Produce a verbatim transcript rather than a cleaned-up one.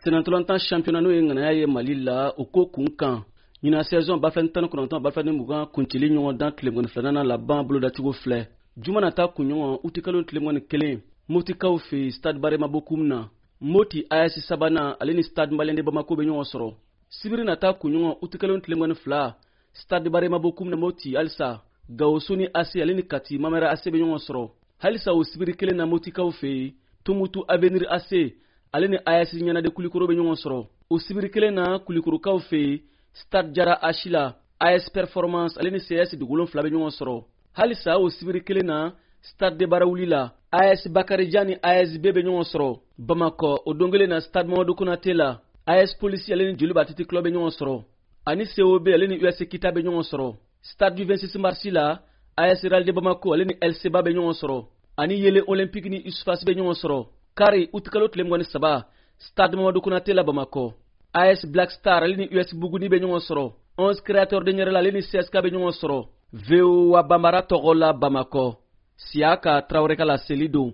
Senatɔlantan championnat, n'o ye ŋanaya ye Mali la, o ko kun kan, ɲinan saison ba fila ni tan ni kɔnɔntɔn ba fila ni mugan kunceli ɲɔgɔn dan tile mugan ni filanan laban bolodacogo filɛ. Juma nata kunɲɔgɔn, utikalo tile mugan ni kelen, Motikaw fɛ, Stade Barema Bokum na, Moti A S sabanan ale ni Stade Malien de Bamako bɛ ɲɔgɔn sɔrɔ. Sibiri nata kunɲɔgɔn, utikalo tile mugan ni fila, Stade Barema Bokum na, Moti halisa, Gawo Soni A C ale ni Kati Mamɛrɛ A C bɛ ɲɔgɔn sɔrɔ. Halisa o sibiri kelen na, Motikaw fɛ yen, Tumutu Avenir A C ale ni A S Ɲɛnade Kulikoro bɛ ɲɔgɔn sɔrɔ. O sibiri kelen na, Kulikorokaw fɛ yen, Stade Jara H la, A S Performance ale ni C S Dugu fila bɛ ɲɔgɔn sɔrɔ. Halisa o sibiri kelen na, Stade de Barawuli la, A S Bakarijan ni A S B bɛ ɲɔgɔn sɔrɔ. Bamakɔ, o don kelen na, Stade Mamadu Konate la, A S Polisi ale ni Joliba Athletic Club bɛ ɲɔgɔn sɔrɔ, ani C O B ale ni U S Kita bɛ ɲɔgɔn sɔrɔ. Stade du vingt-six mars la, A S Real de Bamako ale ni L C B bɛ ɲɔgɔn sɔrɔ, ani Yele Olympique ni U S F A S bɛ ɲɔgɔn sɔrɔ. Kari, utikalo tile mugan ni saba, Stade Mamadu Konate la, Bamakɔ, A S Black Star ale ni U S Buguni bɛ ɲɔgɔn sɔrɔ. onze Créateur de Ɲɛrɛla ale ni C S K bɛ ɲɔgɔn sɔrɔ. V O A Banbara tɔgɔ la, Bamakɔ, Siyaka Tarawele ka laseli don.